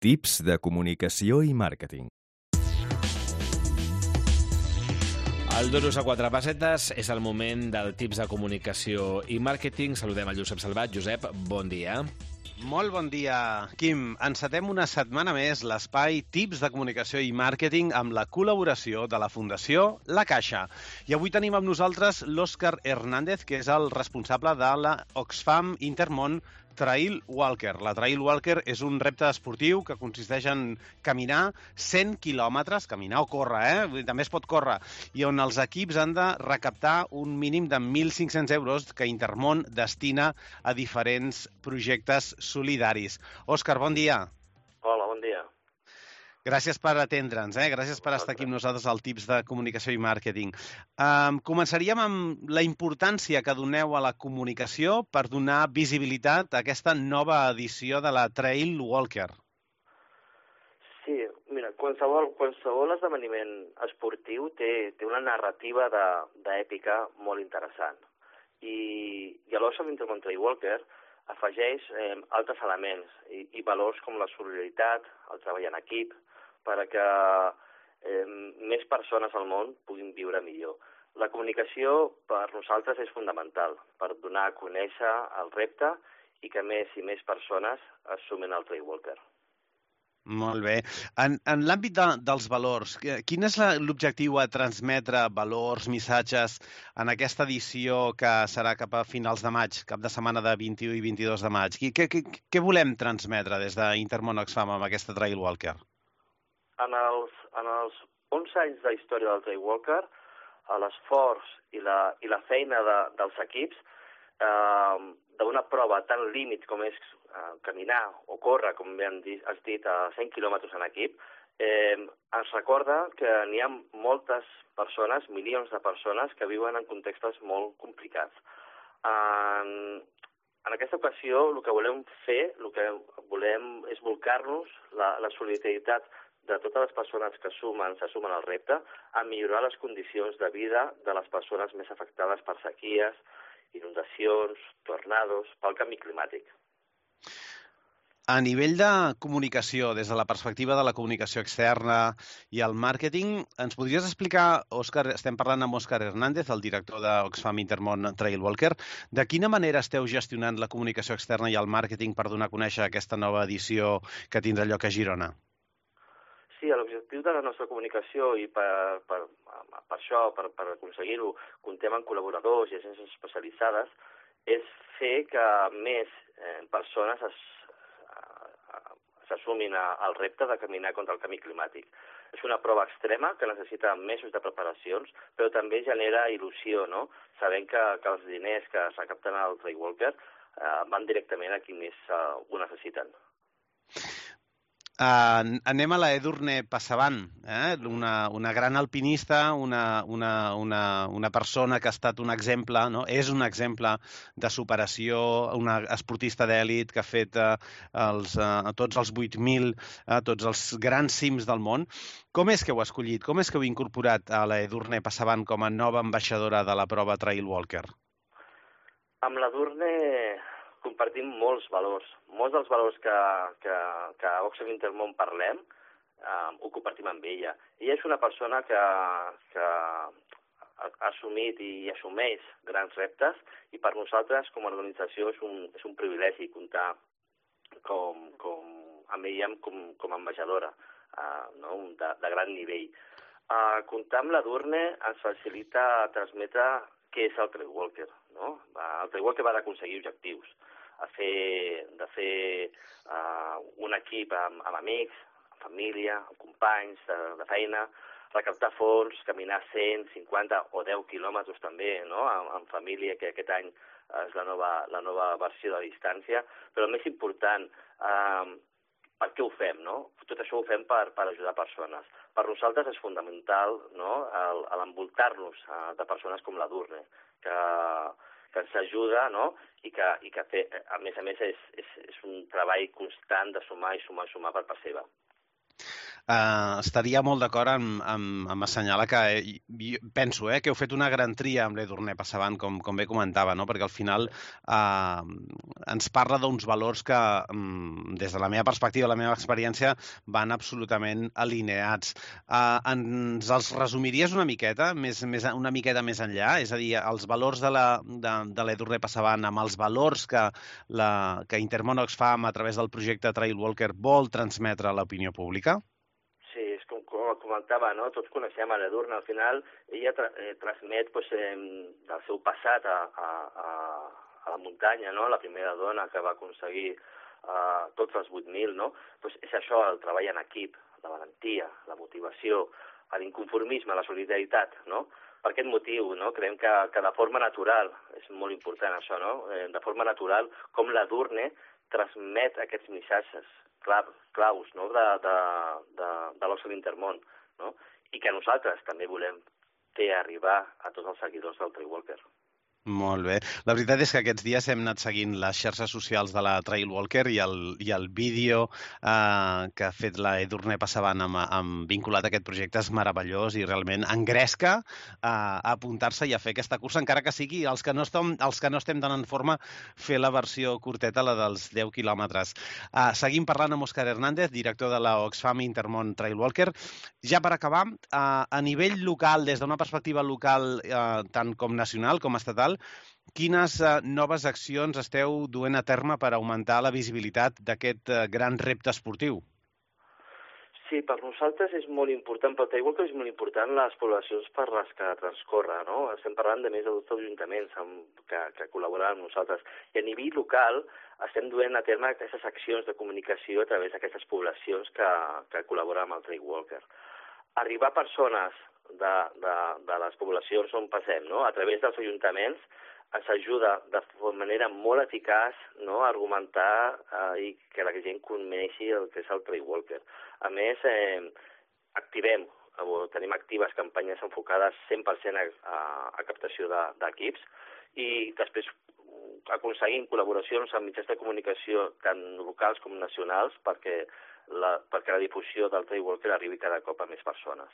Tips de comunicació i màrqueting. El Duros a quatre pessetes és el moment del tips de comunicació i màrqueting. Saludem el Josep Salvat. Josep, bon dia. Molt bon dia, Quim. Encetem una setmana més l'espai Tips de comunicació i màrqueting amb la col·laboració de la Fundació La Caixa. I avui tenim amb nosaltres l'Òscar Hernández, que és el responsable de la Oxfam Intermón Trail Walker. La Trail Walker és un repte esportiu que consisteix en caminar 100 quilòmetres, caminar o córrer, també es pot córrer, i on els equips han de recaptar un mínim de 1.500 euros que Intermón destina a diferents projectes solidaris. Òscar, bon dia. Hola, bon dia. Gràcies per atendre'ns, gràcies per estar aquí amb nosaltres al Tips de Comunicació i Màrqueting. Començaríem amb la importància que doneu a la comunicació per donar visibilitat a aquesta nova edició de la Trail Walker. Sí, mira, qualsevol esdeveniment esportiu té una narrativa d'èpica molt interessant. I l'Oxfam Intermón Trail Walker afegeix altres elements i valors com la solidaritat, el treball en equip, perquè més persones al món puguin viure millor. La comunicació per nosaltres és fonamental per donar a conèixer el repte i que més i més persones es sumen al Trail Walker. Molt bé. En l'àmbit dels valors, quin és l'objectiu a transmetre valors, missatges en aquesta edició que serà cap a finals de maig, cap de setmana de 21 i 22 de maig? Què volem transmetre des d'Intermón Oxfam amb aquesta Trail Walker? En els 11 anys de història del Trail Walker, l'esforç i la feina dels equips d'una prova tan límit com és caminar o córrer, com bé has dit, a 100 quilòmetres en equip, ens recorda que n'hi ha moltes persones, milions de persones, que viuen en contextos molt complicats. En aquesta ocasió, el que volem fer, el que volem és volcar-nos la solidaritat de totes les persones que se sumen al repte a millorar les condicions de vida de les persones més afectades per sequies, inundacions, tornados, pel canvi climàtic. A nivell de comunicació, des de la perspectiva de la comunicació externa i el màrqueting, ens podries explicar, Òscar, estem parlant amb Òscar Hernández, el director d'Oxfam Intermón Trail Walker, de quina manera esteu gestionant la comunicació externa i el màrqueting per donar a conèixer aquesta nova edició que tindrà lloc a Girona? Sí, l'objectiu de la nostra comunicació i per això, per aconseguir-ho, comptem amb col·laboradors i agències especialitzades, és fer que més persones s'assumin al repte de caminar contra el canvi climàtic. És una prova extrema que necessita mesos de preparacions, però també genera il·lusió, no? Sabent que els diners que s'acapten al Trail Walker van directament a qui més ho necessiten. Anem a la Edurne Passavant, una gran alpinista, una persona que ha estat un exemple, no? És un exemple de superació, una esportista d'èlit que ha fet tots els 8.000, tots els grans cims del món. Com és que heu escollit? Com és que heu incorporat a la Edurne Passavant com a nova ambaixadora de la prova Trail Walker? Amb l'Edurne compartim molts valors. Molts dels valors que a Oxfam Intermón parlem ho compartim amb ella. Ella és una persona que ha assumit i assumeix grans reptes i per nosaltres com a organització és un privilegi comptar amb ella com a ambaixadora de gran nivell. Comptar amb l'Edurne ens facilita transmetre què és el Trail Walker. No? El Trail Walker va d'aconseguir objectius, de fer un equip amb amics, amb família, amb companys de feina, recaptar fons, caminar 100, 50 o 10 quilòmetres també, no? amb família, que aquest any és la nova versió de distància, però el més important, per què ho fem? No? Tot això ho fem per ajudar persones. Per nosaltres és fonamental, no? l'envoltar-nos de persones com l'Edurne, que ens ajuda, no? I que té, a més és un treball constant de sumar i sumar per part seva. Estaria molt d'acord amb assenyalar que penso que heu fet una gran tria amb l'Edurne Passavant, com bé comentava, no? Perquè al final ens parla d'uns valors que, des de la meva perspectiva, la meva experiència, van absolutament alineats. Ens els resumiries una miqueta més enllà? És a dir, els valors de l'Edurne Passavant amb els valors que Intermón Oxfam a través del projecte Trailwalker vol transmetre a l'opinió pública? Sí, és com comentava, no? Tots coneixem a l'Edurne. Al final, ella transmet del seu passat a la muntanya, no? La primera dona que va aconseguir tots els 8.000, no? És això, el treball en equip, la valentia, la motivació, l'inconformisme, la solidaritat, no? Per aquest motiu, no? Creiem que de forma natural, és molt important això, no? De forma natural, com l'Edurne transmet aquests missatges claus, no? de l'Oscar Intermón, no? I que nosaltres també volem fer arribar a tots els seguidors del Trailwalker. Molt bé. La veritat és que aquests dies hem anat seguint les xarxes socials de la Trailwalker i el vídeo que ha fet la Edurne Passavant vinculat a aquest projecte és meravellós i realment engresca a apuntar-se i a fer aquesta cursa, encara que sigui els que no estem tan en forma, fer la versió curteta, la dels 10 quilòmetres. Seguim parlant amb Òscar Hernández, director de la Oxfam Intermón Trailwalker. Ja per acabar, a nivell local, des d'una perspectiva local tant com nacional com estatal, quines noves accions esteu duent a terme per augmentar la visibilitat d'aquest gran repte esportiu? Sí, per nosaltres és molt important, pel Trailwalker és molt important les poblacions per les que transcorre, no? Estem parlant de més de 12 ajuntaments que col·laboren amb nosaltres. I a nivell local estem duent a terme aquestes accions de comunicació a través d'aquestes poblacions que col·laboren amb el Trailwalker. Arribar a persones de les poblacions on passem, no? A través dels ajuntaments ens ajuda de manera molt eficaç, no? A argumentar i que la gent coneixi el que és el Trailwalker. A més, tenim actives campanyes enfocades 100% a captació d'equips i després aconseguim col·laboracions amb mitjans de comunicació tant locals com nacionals perquè la difusió del Trailwalker arribi cada cop a més persones.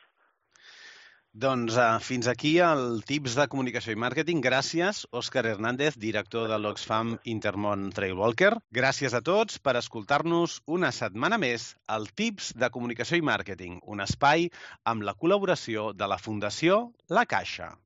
Doncs fins aquí el tips de comunicació i màrqueting. Gràcies, Òscar Hernández, director de l'Oxfam Intermón Trailwalker. Gràcies a tots per escoltar-nos una setmana més al tips de comunicació i màrqueting, un espai amb la col·laboració de la Fundació La Caixa.